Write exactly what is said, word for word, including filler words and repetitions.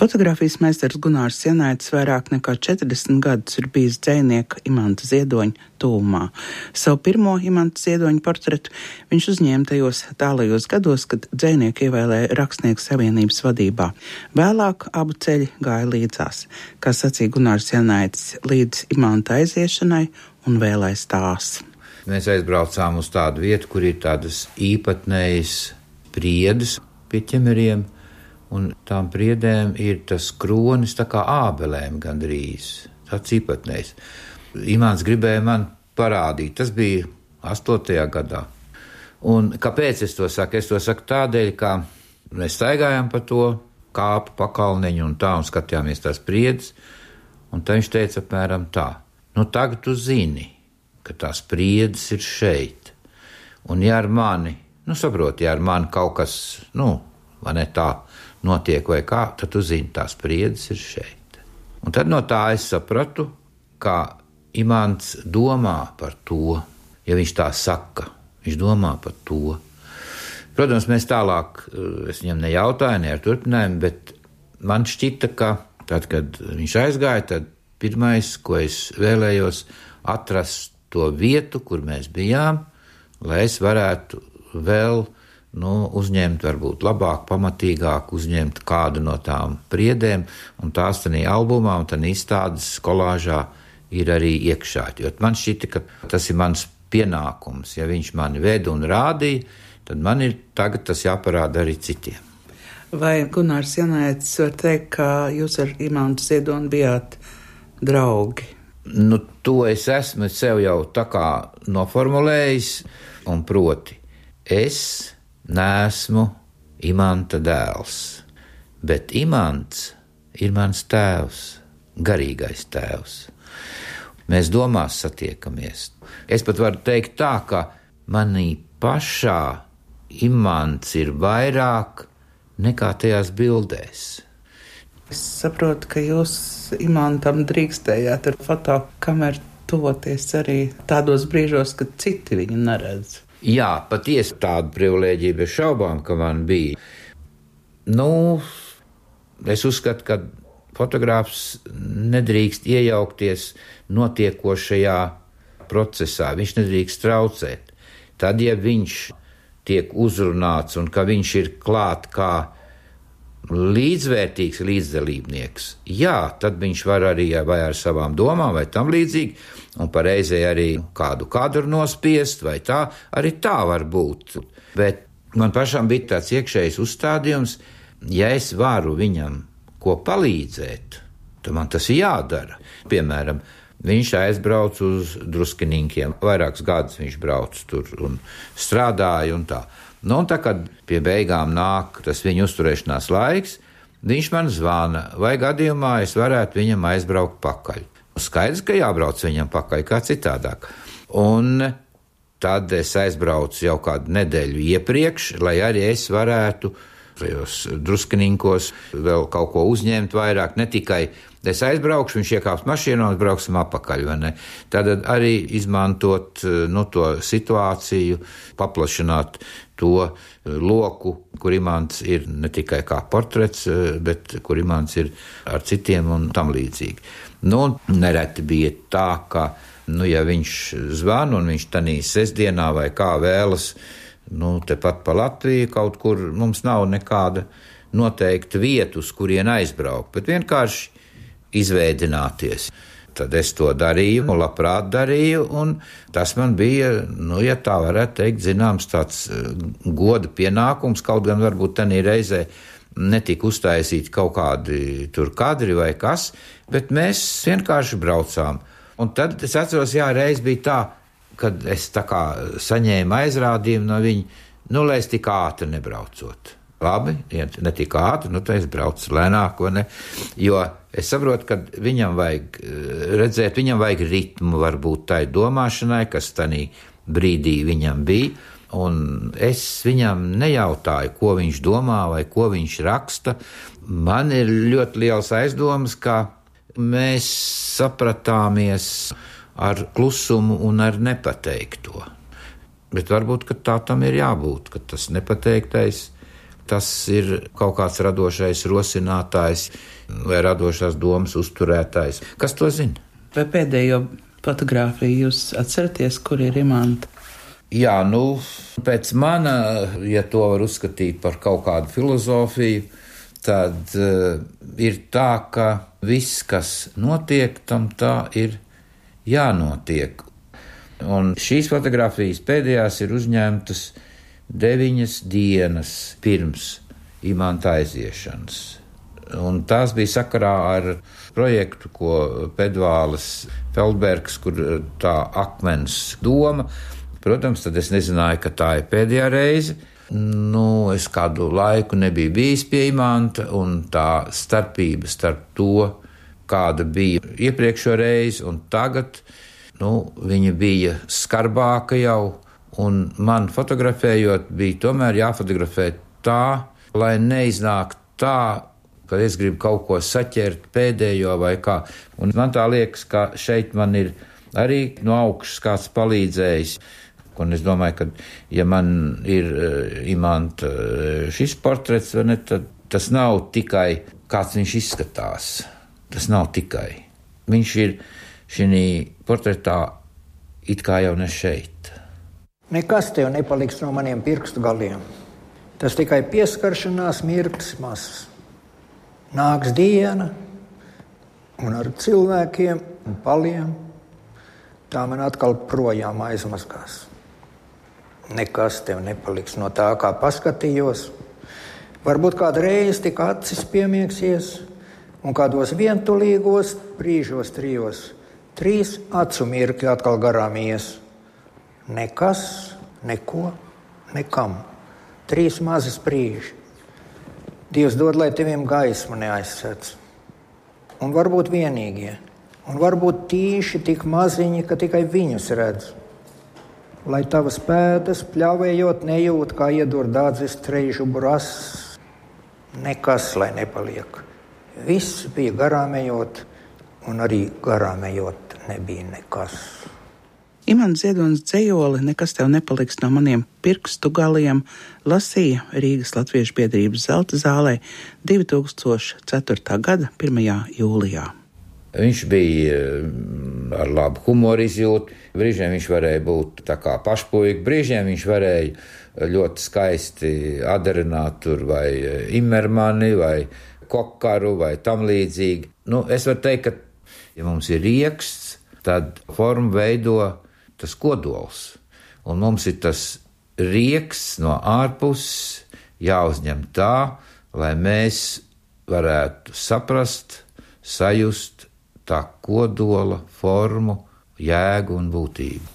Fotogrāfijas meistars Gunārs Janaitis vairāk nekā četrdesmit gadus ir bijis dzejnieka Imanta Ziedoņa tuvumā. Savu pirmo Imanta Ziedoņa portretu viņš uzņēma tajos tālajos gados, kad dzejnieku ievēlēja Rakstnieku savienības vadībā. Vēlāk abu ceļi gāja līdzās, kā sacīja Gunārs Janaitis, līdz Imanta aiziešanai un vēl aiz tās. Mēs aizbraucām uz tādu vietu, kur ir tādas īpatnējas priedes pie ķemeriem, un tām priedēm ir tas kronis tā kā ābelēm gandrīz, tāds īpatnējs. Imants gribēja man parādīt, tas bija astotajā gadā. Un kāpēc es to saku? Es to saku tādēļ, ka mēs staigājām pa to kāpu pakalneņu un tā, un skatījāmies tās priedes, un tā viņš teica apmēram tā: nu tagad tu zini, ka tās priedes ir šeit, un ja ar mani, nu saproti, ja ar mani kaut kas, nu, vai ne tā, notiek vai kā, tad tu zini, tās priedes ir šeit. Un tad no tā es sapratu, ka Imants domā par to, ja viņš tā saka, viņš domā par to. Protams, mēs tālāk, es viņam nejautāju, ne ar turpinājumu, bet man šķita, ka tad, kad viņš aizgāja, tad pirmais, ko es vēlējos, atrast to vietu, kur mēs bijām, lai es varētu vēl nu, uzņemt, varbūt labāk, pamatīgāk uzņemt kādu no tām priedēm, un tās tanī albumā un tanī izstādes kolāžā ir arī iekšā. Jo man šķita, ka tas ir mans pienākums. Ja viņš mani veda un rādīja, tad man ir tagad tas jāparāda arī citiem. Vai Gunārs Janaitis var teikt, ka jūs ar Imantu Ziedoni bijāt draugi? Nu, to es esmu sev jau tā kā noformulējis, un proti, es neesmu Imanta dēls, bet Imants ir mans tēvs, garīgais tēvs. Mēs domās satiekamies. Es pat varu teikt tā, ka manī pašā Imants ir vairāk nekā tajās bildēs. Es saprotu, ka jūs Imantam drīkstējāt ar fotokameru tuvoties arī tādos brīžos, kad citi viņu neredz. Jā, patiesi tādu privilēģiju bez šaubām, ka man bija. Nu, es uzskatu, ka fotogrāfs nedrīkst iejaukties notiekošajā procesā, viņš nedrīkst traucēt. Tad, ja viņš tiek uzrunāts un ka viņš ir klāt kā līdzvērtīgs līdzdalībnieks, jā, tad viņš var arī vai ar savām domām vai tam līdzīgi, un pareizē arī kādu kadru nospiest, vai tā, arī tā var būt. Bet man pašam bija tāds iekšējs uzstādījums, ja es varu viņam ko palīdzēt, tad man tas ir jādara. Piemēram, viņš aizbrauc uz Druskininkiem, vairākus gadus viņš brauc tur un strādāja un tā. Nu, un tā, kad pie beigām nāk tas viņa uzturēšanās laiks, viņš man zvana, vai gadījumā es varētu viņam aizbraukt pakaļ. Skaidrs, ka jābrauc viņam pakaļ, kā citādāk. Un tad es aizbraucu jau kādu nedēļu iepriekš, lai arī es varētu tajos Druskininkos vēl kaut ko uzņemt vairāk, ne tikai es aizbraukšu, viņš iekāps mašīnā un brauksim apakaļ, vai ne? Tad arī izmantot nu, to situāciju, paplašināt to loku, kur Imants ir ne tikai kā portrets, bet kur Imants ir ar citiem un tam līdzīgi. Nu, nereti bija tā, ka, nu, ja viņš zvana un viņš tanī sestdienā vai kā vēlas, nu, tepat pa Latviju kaut kur, mums nav nekāda noteikta vieta, uz kurien aizbraukt, bet vienkārši izveidināties. Tad es to darīju, un labprāt darīju, un tas man bija, nu, ja tā varētu teikt, zināms, tāds goda pienākums, kaut gan varbūt tanī reizē netika uztaisīti kaut kādi tur kadri vai kas, bet mēs vienkārši braucām. Un tad es atceros, jā, reiz bija tā, kad es tā kā saņēmu aizrādījumu no viņa, nu, lai es tik ātri nebraucot. Labi, ja ne tik ātri, nu, tad es braucu lēnāk, vai ne? Jo es saprotu, ka viņam vajag redzēt, viņam vajag ritmu varbūt tai domāšanai, kas tanī brīdī viņam bija, un es viņam nejautāju, ko viņš domā vai ko viņš raksta. Man ir ļoti liels aizdomas, ka mēs sapratāmies ar klusumu un ar nepateikto. Bet varbūt, ka tā tam ir jābūt, ka tas nepateiktais tas ir kaut kāds radošais rosinātājs vai radošās domas uzturētājs. Kas to zina? Vai pēdējo fotogrāfiju jūs atceraties, kur ir imanta? Jā, nu, pēc mana, ja to var uzskatīt par kaut kādu filozofiju, tad uh, ir tā, ka viss, kas notiek, tam tā ir jānotiek. Un šīs fotogrāfijas pēdējās ir uzņemtas deviņas dienas pirms imanta aiziešanas. Un tās bija sakarā ar projektu, ko Pedvāles Feldbergs, kur tā akmens doma. Protams, tad es nezināju, ka tā ir pēdējā reize. Nu, es kādu laiku nebiju bijis pie imanta, un tā starpība starp to, kāda bija iepriekšo reizi un tagad, nu, viņa bija skarbāka jau, un man fotografējot bija tomēr jāfotografē tā, lai neiznāk tā, ka es gribu kaut ko saķert pēdējo vai kā. Un man tā liekas, ka šeit man ir arī no augšas kāds palīdzējis. Un es domāju, ka ja man ir uh, imanta uh, šis portrets, ne, tad tas nav tikai kāds viņš izskatās. Tas nav tikai. Viņš ir šī portretā it kā jau ne šeit. Nekas tev nepaliks no maniem pirkstu galiem. Tas tikai pieskaršanās mirklis mazs. Nāks diena, un ar cilvēkiem un paliem tā man atkal projām aizmazgās. Nekas tev nepaliks no tā, kā paskatījos. Varbūt kādreiz tik acis piemieksies, un kādos vientulīgos brīžos trijos, trīs acu mirkļi atkal garām ies. Nekas, neko, nekam. Trīs mazas brīži. Dievs dod, lai teviem gaismu neaizsēc. Un varbūt vienīgie, un varbūt tīši tik maziņi, ka tikai viņus redz. Lai tavas pēdas pļāvējot nejūt, kā iedur dādzes treižu brasas. Nekas, lai nepaliek. Viss bija garāmējot, un arī garāmējot nebija nekas. Imants Ziedonis dzejoli Nekas tev nepaliks no maniem pirkstu galiem lasīja Rīgas Latviešu biedrības Zelta zālē divi tūkstoši ceturtā gada pirmajā jūlijā. Viņš bija ar labu humoru izjūtu, brīžiem viņš varēja būt tā kā pašpuika, brīžiem viņš varēja ļoti skaisti adarināt tur vai Imermani, vai Kokaru, vai tam līdzīgi. Nu, es varu teikt, ka, ja mums ir rieksts, tad formu veido tas kodols, un mums ir tas rieksts no ārpuses jāuzņem tā, lai mēs varētu saprast, sajust tā kodola formu, jēgu un būtību.